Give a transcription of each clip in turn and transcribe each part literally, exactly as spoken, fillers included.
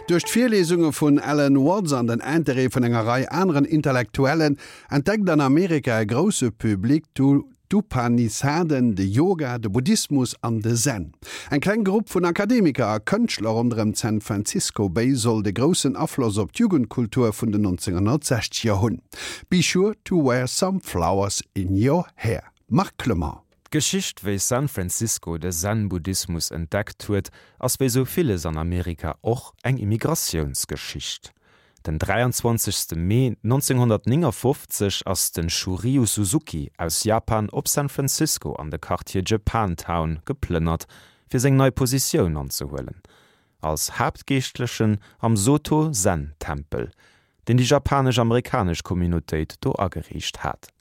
Duerch d'Virliesunge vun Alan Watts an den Interêt vun enger Rei aneren Intellektuellen entdeckt an Amerika e grousse Public d'Upanishaden, de Yoga, de Buddhismus an de Zen. Eng kleng Grupp vun Akademiker a Kënschtler ronderëm d'San Francisco Bay soll de groussen Afloss op d'Jugendkultur vun den nonzénghonnertsechzeger hunn. Be sure to wear some flowers in your hair. Marc Clement. D'Geschicht, wéi San Francisco de Zen-Buddhismus entdeckt huet, ass wéi sou villes an Amerika och eng Immigratiounsgeschicht. Den dräianzwanzegste Mee nonzénghonnertnéngafofzeg ass de Shuryu Suzuki aus Japan op San Francisco an de Quartier Japantown geplënnert, fir seng nei Positioun anzehuelen als Haaptgeeschtlechen am Soto Zen Tempel, deen déi japanesch-amerikanesch Communautéit do ageriicht hat.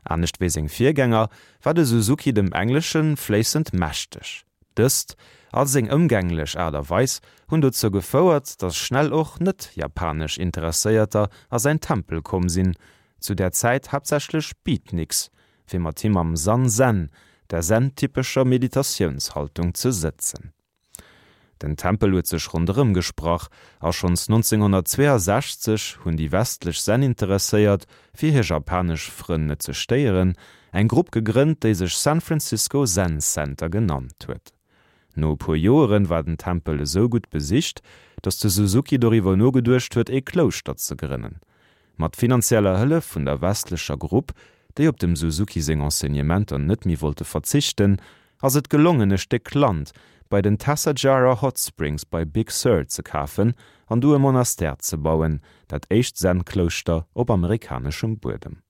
Anescht wéi seng Virgänger, war de Suzuki dem Englesche fléissend mächteg. Dëst, a seng ëmgänglech Aart a Weis, hunn dozou gefouert, datt schnell och net-japanesch Interesséierter a säin Tempel komm sinn, zu där Zäit haaptsächlech Beatniks, fir mat him am Zazen, der zen-typescher Meditatiounshaltung, ze sëtzen. Den Tempel huet sech ronderëm gesprach a schonns nonzénghonnertzweeasechzeg hunn déi westlech Zen-Interesséiert, fir hir japanesch Frënn net ze stéieren, eng Grupp gegrënnt, déi sech San Francisco Zen Center genannt huet. No e puer Joeren war den Tempel esou gutt besicht, datt de Suzuki doriwwer nogeduecht huet, ee Klouschter ze grënnen. Mat finanzieller Hëllef vun der westlecher Grupp, déi op dem Suzuki seng Enseignementer net méi wollte verzichten, ass et gelongen e Stéck Land bei den Tassajara Hot Springs bei Big Sur ze kafen an do e Monastère ze bauen, dat éischt Zen-Klouschter op amerikaneschem Buedem.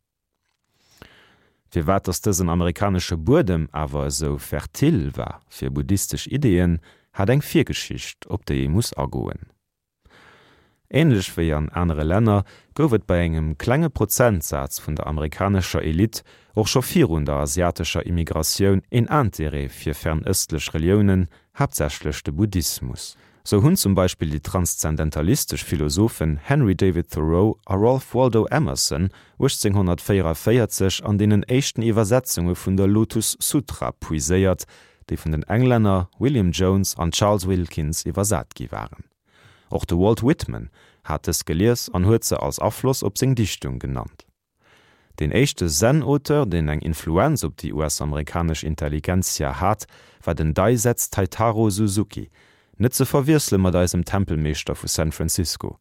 Firwat datt dësen amerikanesche Buedem awer esou fertil war fir buddhistesch Ideeën, hat eng Virgeschicht, op déi ee muss agoen. Änlech wéi an anere Länner gouf et bei engem klenge Prozentsaz vun der amerikanescher Elite och scho virun der asiatescher Immigratioun een Interêt fir fernëstlech Reliounen, haaptsächlech de Buddhismus. Sou hunn zum Beispill déi transzendentalistesch Philosophen Henry David Thoreau a Ralph Waldo Emerson uechtzénghonnertvéierunvéierzeg an deenen éischten Iwwersetzunge vun der Lotus Sutra puiséiert, déi vun den Englänner William Jones an Charles Wilkins iwwersat gi waren. Och de Walt Whitman hat dës gelies an huet se als Afloss op seng Dichtung genannt. Deen éischte Zen-Auteur, deen eng Influenz op déi U S-amerikanesch Intelligentsia hat, war den Daisetz Teitaro Suzuki, net ze verwiessele mat eisem Tempelmeeschter vu San Francisco,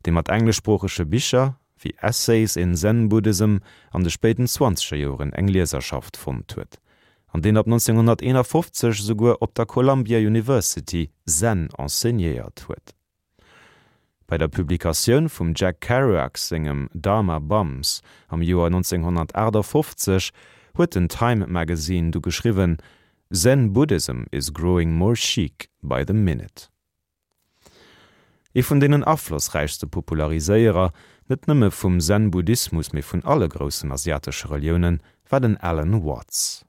dee mat engleschsproochege Bicher wéi Essays in Zen Buddhism an de spéiden Zwanzegerjoren eng Lieserschaft fonnt huet, an deen ab nonzénghonnerteenafofzeg souguer op der Columbia University Zen enseignéiert huet. Bei der Publikatioun vum Jack Kerouac sengem Dharma Bums am Joer nonzénghonnertaachtafofzeg huet den Time Magazine du geschriwwen, Zen Buddhism is growing more chic by the minute. Ee vun deenen aflossräichste Populariséierer, net nëmme vum Zen-Buddhismus, mee vun alle groussen asiatesche Reliounen, war den Alan Watts.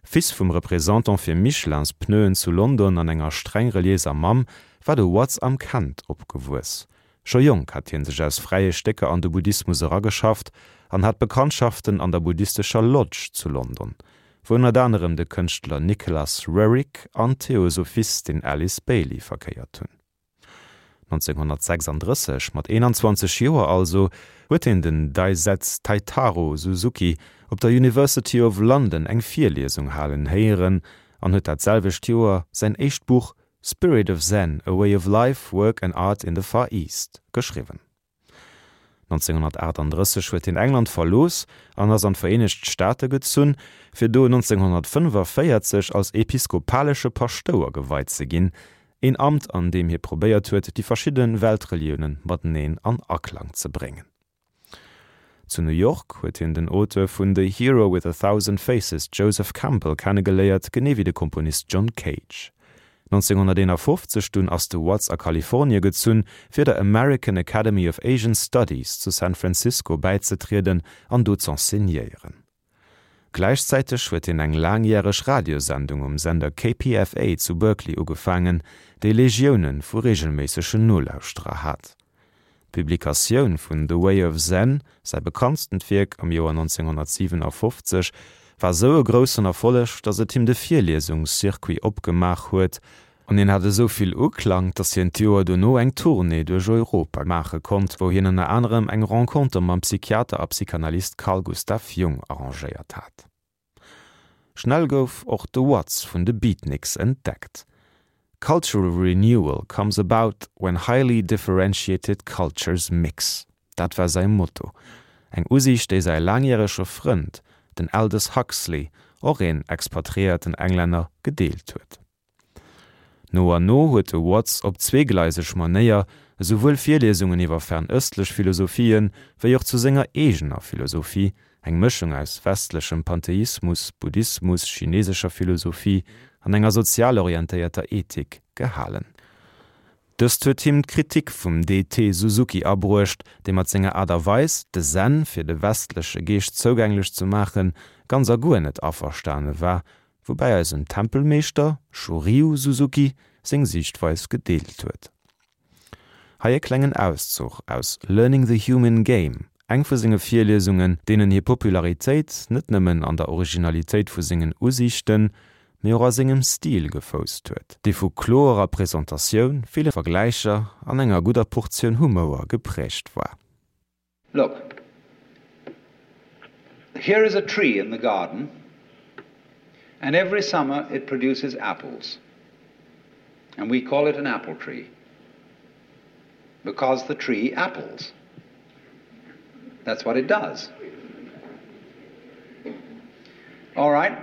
Fils vum Représentant fir Michelins-Pneuen zu London an enger streng reliéiser Mamm, war de Watts am Kent opgewuess. Scho jonk hat hie sech aus fräie Stécker an de Buddhismus erageschafft an hat Bekanntschaften an der buddhistescher Lodge zu London, wou ënnert anerem de Kënschtler Nicholas Roerich an d'Theosophistin Alice Bailey verkéiert hunn. nonzénghonnertsechsanddrësseg, mat eenanzwanzeg Joer also, huet hien den Daisetz Teitaro Suzuki op der University of London eng Virliesung halen héieren an huet dat selwecht Joer säin éischt Buch Spirit of Zen, A Way of Life, Work and Art in the Far East geschriwwen. nonzénghonnertaachtanddrësseg huet hien England verlooss an ass an d'Vereenegt Staate gezunn, fir do nonzénghonnertfënnefavéierzeg als episkopalesche Paschtouer geweit ze ginn, een Amt an deem hie probéiert huet, déi verschidde Weltreliounen mateneen an Aklang ze bréngen. Zu New York huet hien den Auteur vun The Hero with a Thousand Faces Joseph Campbell kennegeléiert, genee wéi de Komponist John Cage. nonzénghonnerteenafofzeg dunn ass de Watts a Kalifornie gezunn, fir der American Academy of Asian Studies zu San Francisco bäizetrieden an do z'enseignéieren. Gläichzäiteg huet hien eng laangjäreg Radiosendung um Sender K P F A zu Berkeley ugefaangen, déi Legioune vu reegelméissegen Nolauschterer hat. D'Publikatioun vun The Way of Zen, säi bekanntstent Wierk, am Joer nonzénghonnertsiwenafoffzeg, war sou e groussen Erfolleg, datt et him de Virliesungscircuit opgemaach huet. An hien hat esou vill Uklang, datt hien d'Joer dono eng Tournée duerch Europa maache konnt, wou hien ënner anerem eng Renconter mam Psychiater a Psychanalyst Carl Gustav Jung arrangéiert hat. Schnell gouf och de Watts vun de Beatniks entdeckt. Cultural renewal comes about when highly differentiated cultures mix. Dat war säi Motto. Eng Usiicht, déi säi laangjärege Frënd, den Aldous Huxley, och een expatriéierten Englänner, gedeelt huet. No an no huet de Watts op zweegleiseg Manéier esouwuel Virliesungen iwwer fernëstlech Philosophien, wéi och zu senger eegener Philosophie, eng Mëschung aus westlechem Pantheismus, Buddhismus, chinesescher Philosophie an enger sozial orientéierter Ethik, gehalen. Dëst huet him d'Kritik vum D. T. Suzuki abruecht, dee mat senger Aart a Weis, de Zen fir de westleche Geescht zougänglech ze maachen, ganz a guer net averstane war, woubäi eisen Tempelmeeschter, Shoryu Suzuki, seng Siichtweis gedeelt huet. Hei e klengen Auszuch aus Learning the Human Game, eng vu senge Virliesungen, deenen hir Popularitéit net nëmmen an der Originalitéit vu sengen Usiichten, mee och a sengem Stil gefousst huet, dee vu klorer Presentatioun, ville Vergläicher an enger gudder Portioun Humouer gepräägt war. Look, here is a tree in the garden, and every summer it produces apples. And we call it an apple tree because the tree apples. That's what it does. All right.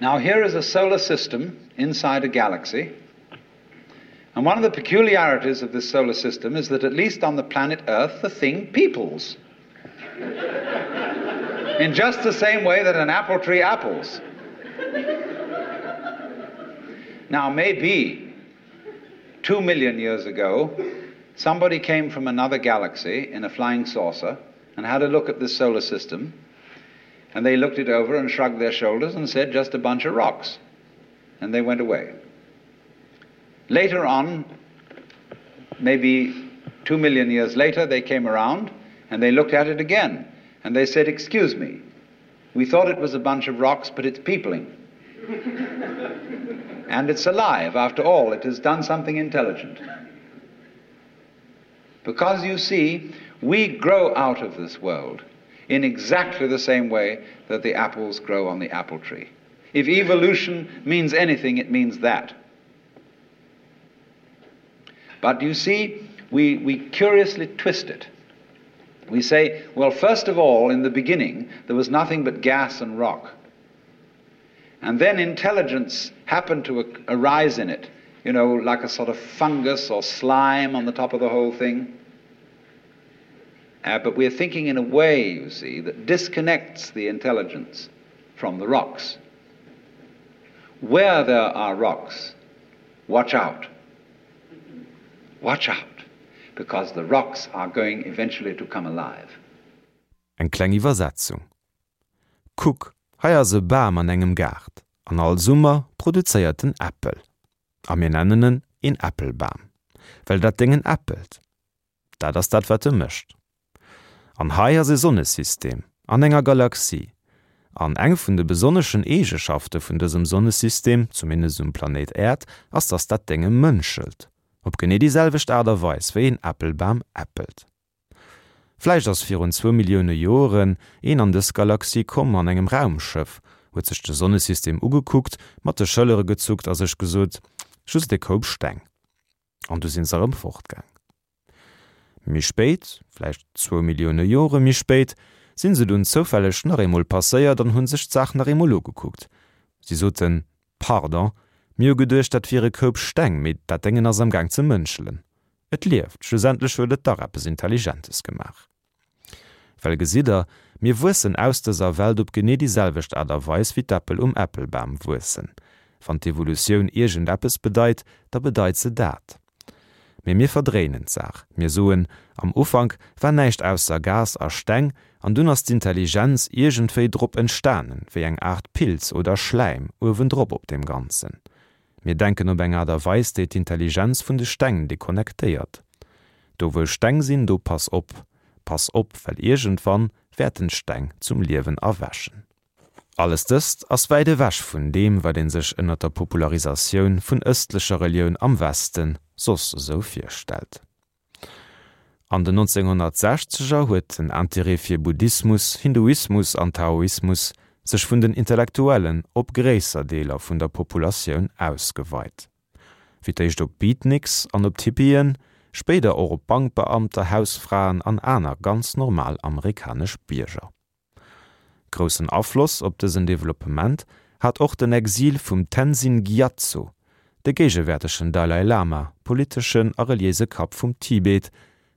Now here is a solar system inside a galaxy. And one of the peculiarities of this solar system is that at least on the planet Earth, the thing peoples. In just the same way that an apple tree apples. Now, maybe two million years ago, somebody came from another galaxy in a flying saucer and had a look at this solar system. And they looked it over and shrugged their shoulders and said, just a bunch of rocks. And they went away. Later on, maybe two million years later, they came around and they looked at it again. And they said, excuse me, we thought it was a bunch of rocks, but it's peopling. And it's alive, after all, it has done something intelligent. Because, you see, we grow out of this world in exactly the same way that the apples grow on the apple tree. If evolution means anything, it means that. But you see, we, we curiously twist it. We say, well, first of all, in the beginning, there was nothing but gas and rock. And then intelligence happened to arise in it, you know, like a sort of fungus or slime on the top of the whole thing. Uh, but we're thinking in a way, you see, that disconnects the intelligence from the rocks. Where there are rocks, watch out. Watch out, because the rocks are going eventually to come alive. Eng kleng Iwwersetzung. Kuck, hei ass e Bam an engem Gaart, an all Summer produzéiert en Äppel. A mir nennen en een Äppelbam, well dat Déngen äppelt. Dat ass dat, wat e mécht. An hei ass e Sonnesystem an enger Galaxie. An eng vun de besonneschen Eegeschafte vun dësem Sonnesystem, zumindest um Planéit Äerd, ass dass dat Dénge mënschelt. Op genee déi selwecht Aart a Weis wéi een Äppelbam äppelt. Vläicht ass virun zwou Millioune Joren een an dës Galaxie komm an engem Raumschëff, huet sech de Sonnesystem ugekuckt, mat de Schëllere gezuckt a sech gesot, Just e Koup Steng. An du sinn se erëm fortgaang. Méi spéit, vläicht zwou Millioune Jore méi spéit, sinn se dunn zoufälleg nach eemol passéiert an hunn sech d'Saach nach eemol ugekuckt. Si soten, Pardon, mir hu geduecht, dat wier e Koup Steng, mee dat Déngen ass am Gaang ze mënschelen. Et lieft, schlussendlech huet et dach eppes Intelligentes gemaach. Well gesitt der, mir wuessen aus dëser Welt op genee déi selwecht Aart a Weis wéi d'Äppel um Äppelbam wuessen. Wann d'Evolutioun iergendeppes bedeit, da bedeit se dat. Mee mir verdréinen d'Saach. Mir soen, am Ufank war näischt ausser Gas a Steng an dunn ass d'Intelligenz iergendwéi drop entstanen, wéi eng Aart Pilz oder Schläim uewendrop op deem Ganzen. Mir denken op eng Aart a Weis, déi d'Intelligenz vun de Steng deconnectéiert. Do wou Steng sinn, do pass op. Pass op, well iergendwann wäerten d'Steng zum Liewen erwächen. Alles dëst ass wäit ewech vun deem, wat een sech ënner der Popularisatioun vun ëstlecher Relioun am Westen soss esou virstellt. An den nonzénghonnertsechzeger huet den Interêt fir Buddhismus, Hinduismus an Taoismus sech vun den Intellektuellen op gréisser Deeler vun der Populatioun ausgeweit. Fir d'éischt op Beatniks an op d'Hippien, spéider och op Bankbeamter, Hausfraen an aner ganz normal amerikanesch Bierger. Groussen Afloss op dësen Developpement hat och den Exil vum Tenzin Gyatso, de géigewäertegen Dalai Lama, politeschen a reliéise Kapp vum Tibet,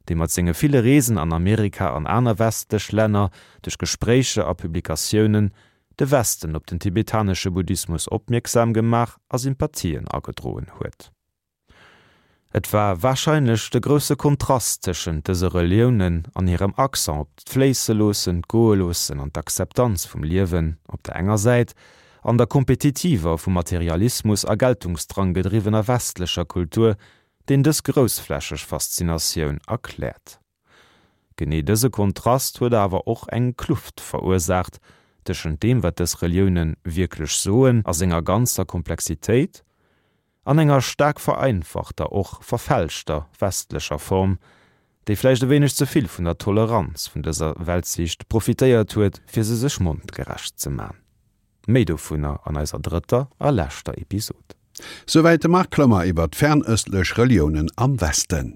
dee mat senge ville Reesen an Amerika an aner westlech Länner duerch Gespréicher a Publikatiounen de Westen op den tibetanesche Buddhismus opmierksam gemaach a Sympathien agedroen huet. Et war warscheinlech de grousse Kontrast tëschent dëse Reliounen an hirem Accent op d'Fléisse loossen, d'Goe loossen an d'Akzeptanz vum Liewen op der enger Säit an der kompetitiver, vum Materialismus a Geltungsdrang gedriwwener westlecher Kultur, deen dës groussflächeg Faszinatioun erkläert. Genee dëse Kontrast huet awer och eng Kluft verursaacht tëschent deem, wat dës Relioune wierklech soen a senger ganzer Komplexitéit, an enger staark vereinfachter, och verfälschter westlecher Form, déi vläicht e wéineg ze vill vun der Toleranz vun dëser Weltsiicht profitéiert huet, fir se sech mondgerecht ze man. Méi dovunner an eiser drëtter a leschter Episod. Souwäit de Marc Clement iwwer d'fernëstlech Reliounen am Westen.